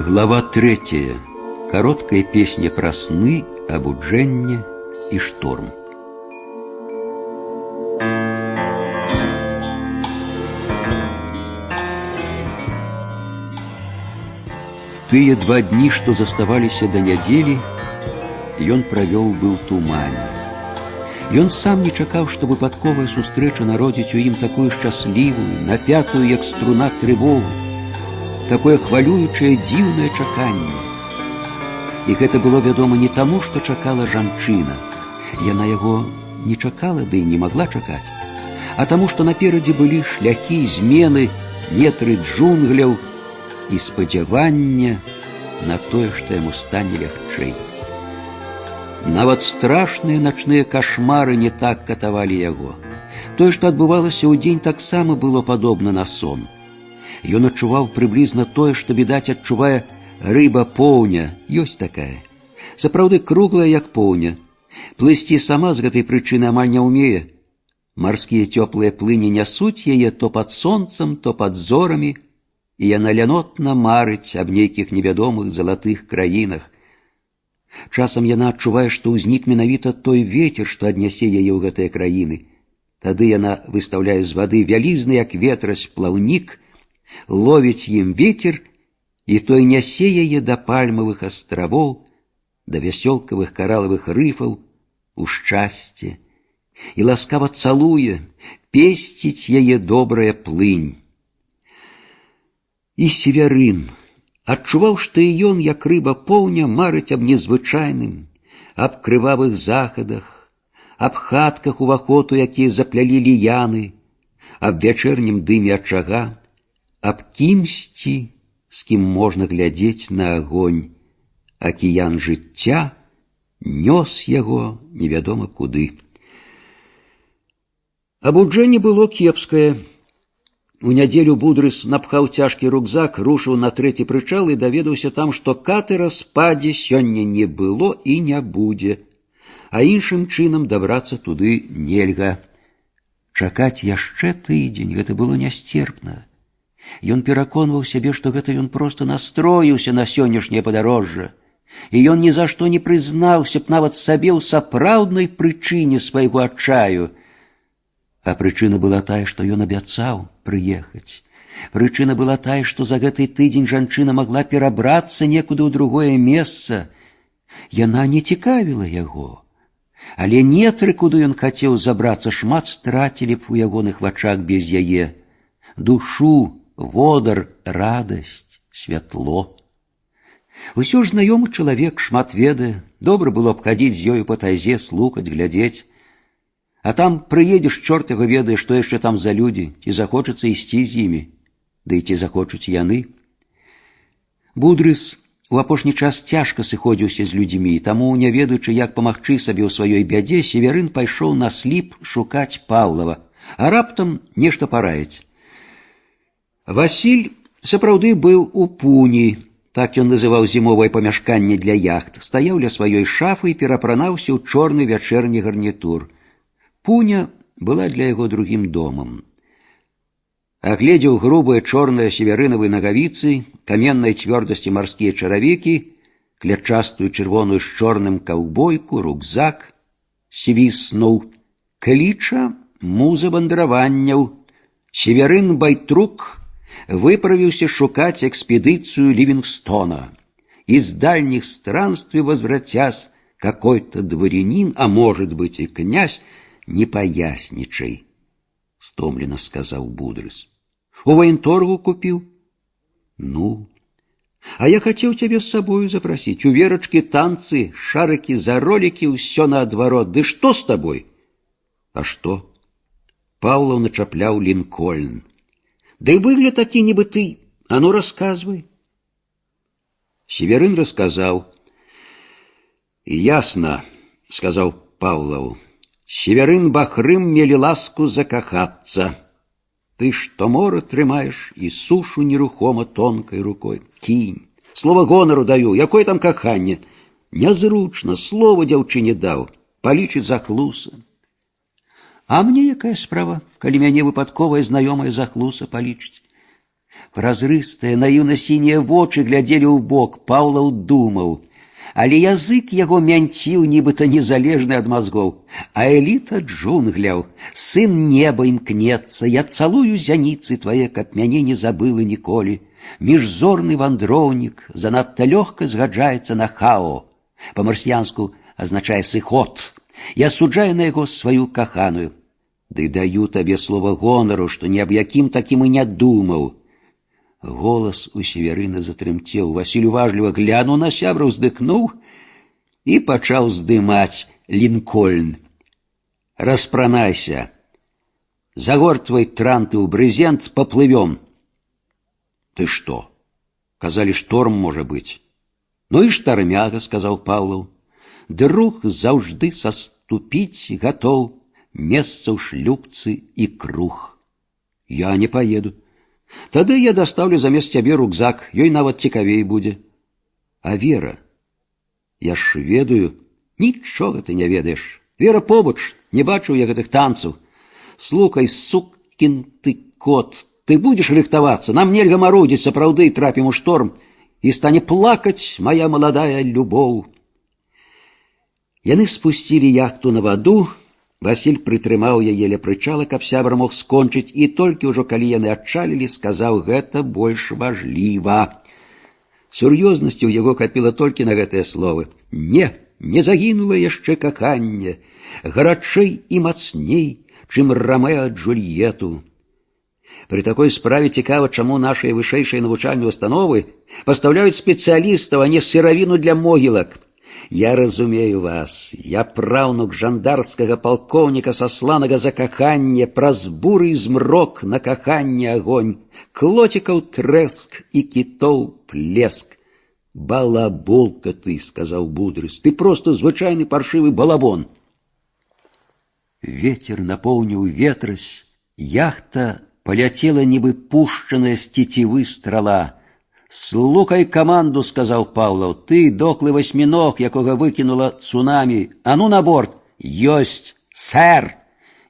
Глава 3. Короткая песня про сны, обуджение и шторм. Тыя 2 дні, што заставаліся да нядзелі, ён правёў быў тумане. Ён сам не чакаў, што выпадковая сустрэча народзіць у ім такую шчаслівую, напятую, як струна, трывогу, такое хвалюючае, дзіўнае чаканне. І гэта было вядома не таму, што чакала жанчына. Яна яго не чакала, ды і не магла чакаць, а таму, што наперадзе былі шляхі, змены, метры джунгляў і спадзявання на тое, што яму стане лягчэй. Нават страшныя начныя кашмары не так катавалі яго. Тое, што адбывалася ў дзень, таксама было падобна на сон. Ён адчуваў прыблізна тое, што, відаць, адчувае рыба-поўня. Ёсць такая. Сапраўды круглая, як поўня. Плысці сама з гэтай прычыны амаль не ўмее. Марскія цёплыя плыні нясуць яе то пад сонцам, то пад зорамі, і яна лянотна марыць аб нейкіх невядомых залатых краінах. Часам яна адчувае, што ўзнік менавіта той вецер, што аднясе яе ў гэтыя краіны. Тады яна выстаўляе з вады вялізны, як ветразь, плаўнік, ловіць ім вецер, і той нясе яе да пальмавых астравоў, да вясёлкавых каралавых рыфаў, у шчасце, і ласкава цалуе, песціць яе добрая плынь. І Севярын адчуваў, што і ён, як рыба-поўня, марыць аб незвычайным, аб крывавых захадах, аб хатках уваходу, якія заплялі ліяны, аб вячэрнім дыме ачага, аб кімсьці, з кім можна глядзець на агонь. Акіян жыцця нёс яго невядома куды. Абуджэнне было кепскае. У нядзелю Будрыс напхаў цяжкі рюкзак, рушыў на 3-й прычал і даведаўся там, што катера спадзе сёння не было і не будзе, а іншым чынам дабрацца туды нельга. Чакаць яшчэ тыдзень — гэта было нясцерпна. Ён пераконваў сябе, што гэта ён проста настроіўся на сённяшняе падарожжа, і ён ні за што не прызнаўся б нават сабе ў сапраўднай прычыне свайго адчаю. А прычына была тая, што ён абяцаў прыехаць. Прычына была тая, што за гэты тыдзень жанчына магла перабрацца некуды ў другое месца. Яна не цікавіла яго, але нетры, куды ён хацеў забрацца, шмат страцілі б у ягоных вачах без яе. Душу, водар, радасць, святло. Усё ж знаёмы чалавек, шмат ведае, добра было б хадзіць з ёю па тайзе, слухаць, глядзець. А там прыедзеш, чорт яго ведае, што яшчэ там за людзі, ці захочацца ісці з імі, ды і ці захочуць яны. Будрыс у апошні час цяжка сыходзіўся з людзьмі, таму, не ведаючы, як памагчы сабе ў сваёй бядзе, Севярын пайшоў на сліп шукаць Паўлава, а раптам нешта параіць. Васіль сапраўды быў у пуні, так ён называў зімовае памяшканне для яхт, стаяў ля сваёй шафы і перапранаўся ў чорны вячэрні гарнітур. Пуня была для яго другім домам. Агледзеў грубыя чорныя севярынавыя нагавіцы, каменнай цвёрдасці марскія чаравікі, клятчастую чырвоную з чорным каўбойку, рюкзак, свіснуў. Кліча муза вандраванняў. Севярын Байтрук выправіўся шукаць экспедыцыю Ливингстона. Из дальних странствий возвратясь, какой-то дворянин, а может быть и князь, не поясничай, — стомленно сказал Будрыс. У военторгу купил? Ну, а я хотел тебя с собою запросить. У Верочки танцы, шарики за ролики, все наотворот. Да что с тобой? А что? Павлов начаплял Линкольн. Да и выгляд таки нібы ты. А ну, рассказывай. Северин рассказал. Ясно, — сказал Павлову. Северин Бахрым мели ласку закахаться. Ты что море трымаешь и сушу нерухомо тонкой рукой. Кинь. Слово гонору даю. Якое там каханне? Нязручно. Слово дзяўчыне даў. Палічыць захлуса. А мне якая справа, калі мяне выпадковая знаёмая захлуса палічыць? Празрыстыя, наіўна-сінія вочы глядзелі ў бок. Паўлаў думаў. Але язык яго мянціў, нібыта незалежны ад мазгоў. А эліта джунгляў, сын неба імкнецца, я цалую зяніцы твае, каб мяне не забыла ніколі. Міжзорны вандроўнік занадта лёгка згаджаецца на хао. Па-марсіянску азначае сыход. Я суджаю на яго сваю каханую. Ды даю табе слова гонару, што ні аб якім такім і не думаў. Голас у Северына затрымцеў. Васіль уважліва глянуў на сябра, уздыхнуў і пачаў здымаць Лінкольн. Распранайся. Загортвай транты ў брызент, поплывем. Ты што? Казалі, шторм можа быць. Ну і штармяга, сказаў Паўлаў. Друг заўжды саступіць гатоў, месца ў шлюпцы і круг. Я не поеду. Тады я дастаўлю замест цябе рюкзак, ёй нават цікавей будзе. А Вера? Я ж ведаю. Нічога ты не ведаеш. Вера побач, не бачыў я гэтых танцаў. Слухай, сукін ты кот, ты будзеш рыхтавацца, нам нельга марудзіць, сапраўды трапім у шторм, і стане плакаць моя маладая любоў. Яны спусцілі яхту на ваду. Васіль прытрымаў яе ля прычала, каб сябра мог скончыць, і толькі ўжо калі яны адчалілі, сказаў, гэта больш важліва. Сур'ёзнасці ў яго хапіла толькі на гэтыя словы. Не загінула яшчэ каханне, гарачэй і мацней, чым Рамеа Джульету. Пры такой справе цікава, чаму нашыя вышэйшыя навучальныя установы пастаўляюць спецыялістаў, а не сыравіну для могілак. Я разумею вас. Я праўнук жандарскага палкоўніка, сасланага за каханне, праз буры і змрок на каханне агонь, клоцікаў трэск і кітоў плеск. Балаболка ты, сказаў Будрыс, ты просто звычайны паршывы балабон. Ветер напоўніў ветразь, яхта поляцела, нібы пушчаная з цецівы страла. «Слухай каманду», — сказал Павлов, — «ты доклый восьминог, якога выкинула цунами. А ну на борт!» «Ёсть, сэр!»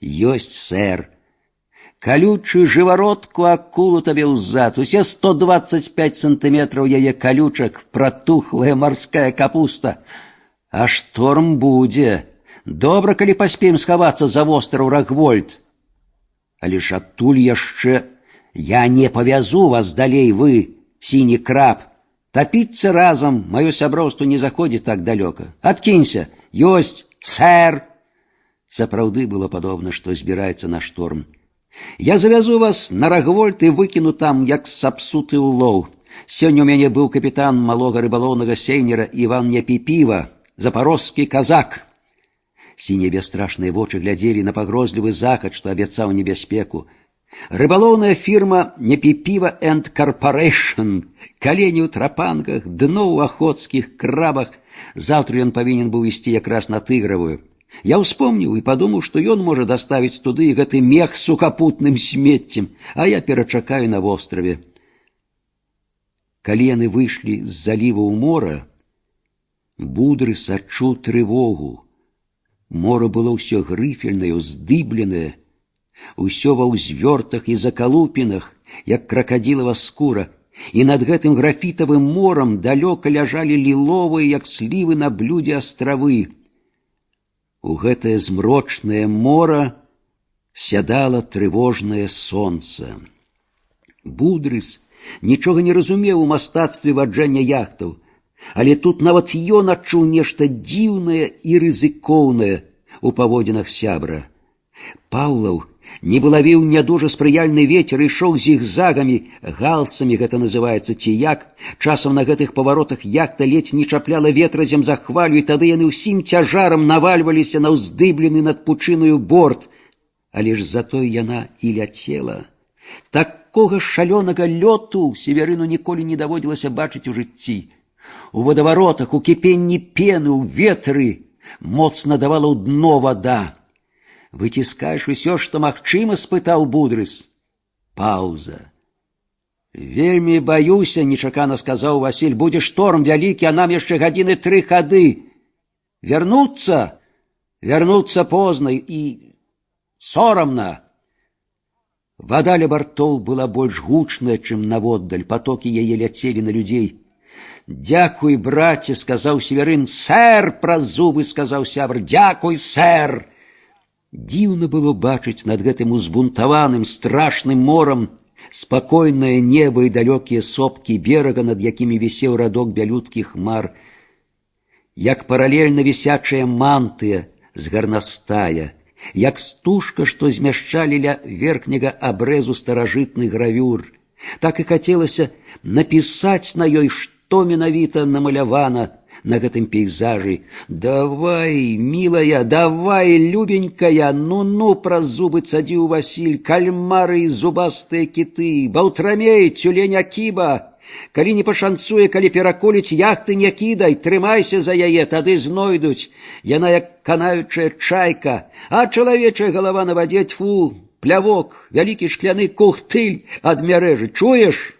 «Ёсть, сэр!» «Колючую живородку акулу табе ўзад, усе 125 сантиметров яе колючак, протухлая морская капуста. А шторм будзе. Добра, калі паспеем схавацца за востраў Рагвольд. Але ж адтуль яшчэ... Я не павязу вас далей, вы, сіні краб. Топіцца разам, маё сяброўство не заходзіць так далёка. Адкінься, ёсць, сэр!» Сапраўды было падобна, што збіраецца на шторм. «Я завязу вас на Рагвольд і выкіну там, як сапсуты ўлоў. Сёння ў мяне быў капітан малога рыбалоўнага сейнера Іван Непіпіва, запарожскі казак». Сінія бясстрашныя вочы глядзелі на пагрозлівы захад, што абяцаў небяспеку. Рыбалоўная фірма Непіпіва энд Карпарэйшн, калені ў трапанках, дно ў ахоцкіх крабах. Заўтра ён павінен быў ісці якраз на Тыгравую. Я ўспомніў і падумаў, што ён можа даставіць туды гэты мех з сухапутным смеццем, а я перачакаю на востраве. Калі яны выйшлі з заліва ў мора, Будрыс адчуў трывогу. Мора было ўсё грыфельнае, уздыбленае, усё ва ўзвёртах і закалупінах, як кракадзілава скура, і над гэтым графітавым морам далёка ляжалі ліловыя, як слівы на блюдзе, астравы. У гэтае змрочнае мора сядала трывожнае сонца. Будрыс нічога не разумеў у мастацтве ваджэння яхтаў, але тут нават ён адчуў нешта дзіўнае і рызыкоўнае у паводзінах сябра. Паўлаў нібы лавіў нядужа спрыяльны вецер і ішоў зігзагамі, галсамі гэта называецца, ці як. Часам на гэтых паваротах яхта ледзь не чапляла ветразем за хвалю, і тады яны ўсім цяжарам навальваліся на ўздыблены над пучыною борт. Але ж затое яна і ляцела. Такога шалёнага лёту Северыну ніколі не даводзілася бачыць у жыцці. У водаваротах, у кіпенні пены, у ветры моцна давала ў дно вада. «Выціскаеш усё, што магчыма?» — спытаў Будрыс. Паўза. «Вельмі баюся», — нечакана сказаў Васіль. «Будзе шторм вялікі, а нам яшчэ гадзіны 3 хады. Вярнуцца позна і сорамна». Вода ля бартоў была больш гучная, чым наводдаль, потокі яе ляцелі на людзей. «Дякуй, браце», — сказаў Северын. «Сэр», — праз зубы сказаў сябр, «дякуй, сэр». Дзіўна было бачыць над гэтым узбунтаваным страшным морам спакойнае неба і далёкія сопкі берага, над якімі вісеў радок бялюткіх хмар, як паралельна вісячая мантыя з гарнастая, як стужка, што змяшчалі ля верхняга абрэзу старажытны гравюр. Так і хацелася напісаць на ёй, што менавіта намалявана на гэтым пейзажы. «Давай, милая, давай, любенькая, ну-ну», праз зубы цадзіў Васіль, «кальмары і зубастыя кіты, баўтрамей, тюлень Акіба. Калі не пашанцуе, калі пераколіць, яхты не кідай, трымайся за яе, тады знойдуць. Яна як канаючая чайка, а чалавечая галава на вадзе, тьфу, плявок, вялікі шкляны кухтыль ад мярэжы, чуеш?»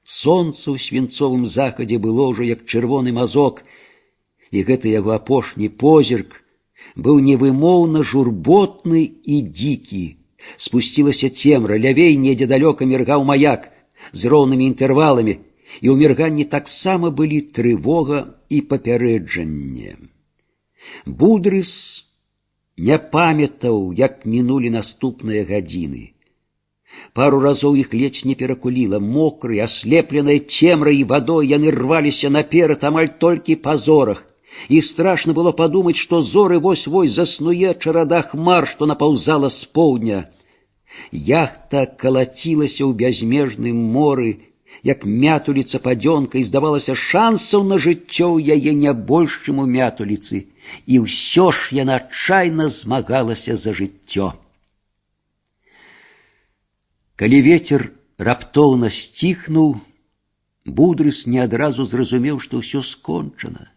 Сонца ў свінцовым захадзе было ўжо як чырвоны мазок, і гэты яго апошні позірк быў невымоўна журботны і дзікі. Спусцілася цемра, лявей недзе далёка міргаў маяк з роўнымі інтэрваламі, і ў мірганні таксама былі трывога і папярэджанне. Будрыс не памятаў, як мінулі наступныя гадзіны. Пару разоў іх ледзь не перакуліла. Мокрыя, аслепленыя цемрай і вадой, яны рваліся наперад амаль толькі па зорах. І страшна было падумаць, што зоры вось-вось заснуе чарада хмар, што напаўзала з поўдня. Яхта калацілася ў бязмежным моры, як мятуліца падзёнка, і, здавалася, шансаў на жыццё ў яе не больш, чым у мятуліцы. І ўсё ж яна адчайна змагалася за жыццё. Калі вецер раптоўна сціхнуў, Будрыс не адразу зразумеў, што ўсё скончана,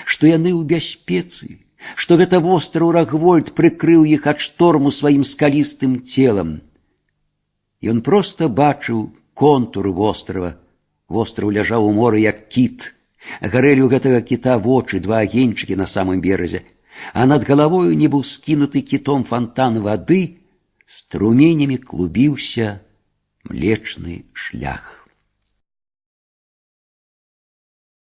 што яны ў бяспецы, што гэта востраў Рагвольд прыкрыў іх ад шторму сваім скалістым целам. Ён проста бачыў контур вострава. Востраў ляжаў у моры, як кіт. Гарэлі ў гэтага кіта вочы, два агеньчыкі на самым беразе, а над галавою, нібы скінуты кітом фонтан вады, струменямі клубіўся Млечны шлях.